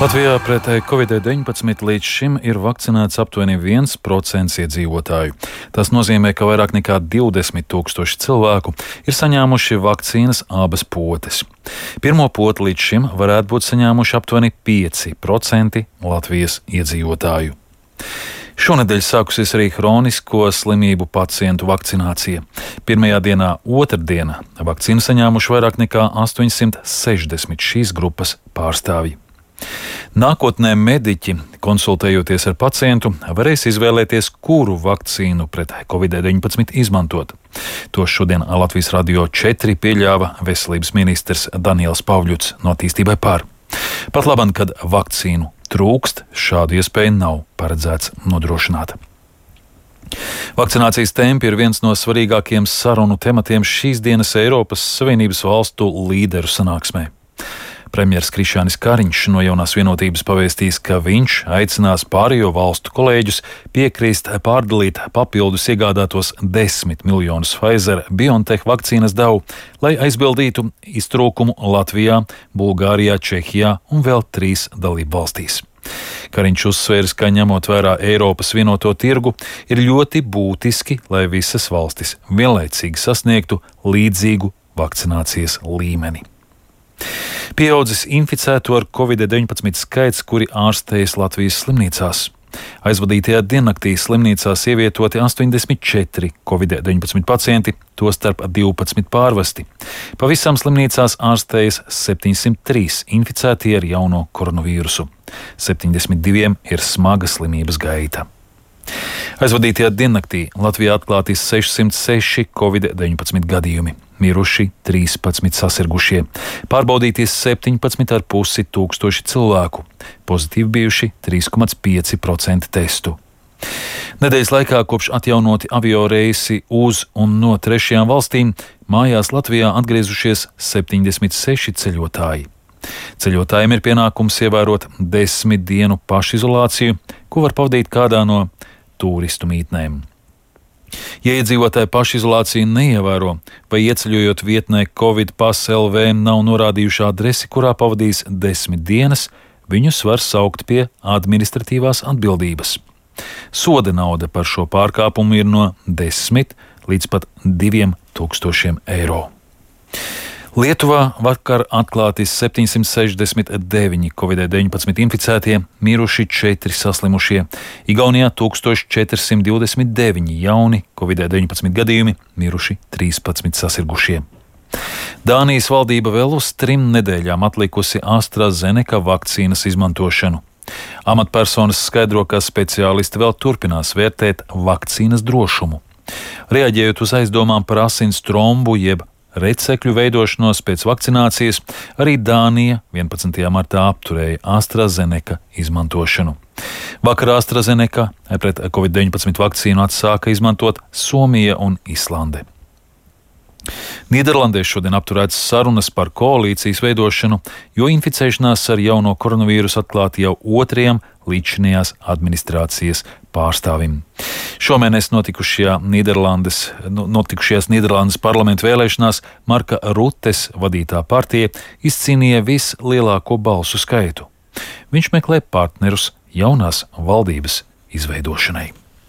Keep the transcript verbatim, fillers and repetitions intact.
Latvijā pret covid deviņpadsmit līdz šim ir vakcinēts aptuveni viens procents iedzīvotāju. Tas nozīmē, ka vairāk nekā divdesmit tūkstoši cilvēku ir saņēmuši vakcīnas abas potes. Pirmo poti līdz šim varētu būt saņēmuši aptuveni pieci procenti Latvijas iedzīvotāju. Šonedēļ sākusies arī hronisko slimību pacientu vakcinācija. Pirmajā dienā, otrdienā, vakcīnu saņēmuši vairāk nekā astoņsimt sešdesmit šīs grupas pārstāvji. Nākotnē mediķi, konsultējoties ar pacientu, varēs izvēlēties, kuru vakcīnu pret covid deviņpadsmit izmantot. To šodien Latvijas Radio četri pieļāva veselības ministrs Daniels Pavļuts no Attīstībai par. Pat labam, kad vakcīnu trūkst, šādu iespēju nav paredzēts nodrošināt. Vakcinācijas tempi ir viens no svarīgākajiem sarunu tematiem šīs dienas Eiropas Savienības valstu līderu sanāksmē. Premjers Krišjānis Kariņš no Jaunās vienotības pavēstīs, ka viņš aicinās pārējo valstu kolēģus piekrist pārdalīt papildus iegādātos desmit miljonus Pfizer-BioNTech vakcīnas devu, lai aizbildītu iztrūkumu Latvijā, Bulgārijā, Čehijā un vēl trīs dalību valstīs. Kariņš uzsvērs, ka ņemot vērā Eiropas vienoto tirgu, ir ļoti būtiski, lai visas valstis vienlaicīgi sasniegtu līdzīgu vakcinācijas līmeni. Pieaudzis inficēto ar covid deviņpadsmit skaits, kuri ārstējas Latvijas slimnīcās. Aizvadītajā diennaktī slimnīcās ievietoti astoņdesmit četri covid deviņpadsmit pacienti, tostarp divpadsmit pārvesti. Pavisam slimnīcās ārstējas septiņsimt trīs inficētie ar jauno koronavīrusu. septiņdesmit diviem ir smaga slimības gaita. Aizvadītajā diennaktī Latvijā atklāti sešsimt seši covid deviņpadsmit gadījumi, miruši trīspadsmit sasirgušie, pārbaudīties septiņpadsmit ar pusi tūkstoši cilvēku, pozitīvi bijuši trīs komats pieci procenti testu. Nedēļas laikā kopš atjaunoti avio reisi uz un no trešajām valstīm, mājās Latvijā atgriezušies septiņdesmit seši ceļotāji. Ceļotājiem ir pienākums ievērot desmit dienu pašizolāciju, ko var pavadīt kādā no turistu mītnēm. Ja iedzīvotāji pašizolāciju neievēro vai ieceļojot vietnē Covid Pass L V nav norādījuši adresi, kurā pavadīs desmit dienas, viņus var saukt pie administratīvās atbildības. Soda nauda par šo pārkāpumu ir no desmit līdz pat diviem tūkstošiem eiro. Lietuvā vakar atklāti septiņsimt sešdesmit deviņi covid deviņpadsmit inficētie, miruši četri saslimušie, Igaunijā tūkstoš četri simt divdesmit deviņi jauni covid deviņpadsmit gadījumi, miruši trīspadsmit sasirgušie. Dānijas valdība vēl uz trim nedēļām atlikusi AstraZeneca vakcīnas izmantošanu. Amatpersonas skaidro, ka speciālisti vēl turpinās vērtēt vakcīnas drošumu. Reaģējot uz aizdomām par asins trombu jeb recekļu veidošanos pēc vakcinācijas, arī Dānija vienpadsmitajā martā apturēja AstraZeneca izmantošanu. Vakar AstraZeneca pret covid deviņpadsmit vakcīnu atsāka izmantot Somija un Islande. Nīderlandē šodien apturētas sarunas par koalīcijas veidošanu, jo inficēšanās ar jauno koronavīrusu atklāti jau otrajam līdzinājās administrācijas pārstāvim. Šomēnes notikušajā Nīderlandes, notikušajās Nīderlandes parlamentu vēlēšanās Marka Rutes vadītā partija izcīnīja vislielāko balsu skaitu. Viņš meklē partnerus jaunās valdības izveidošanai.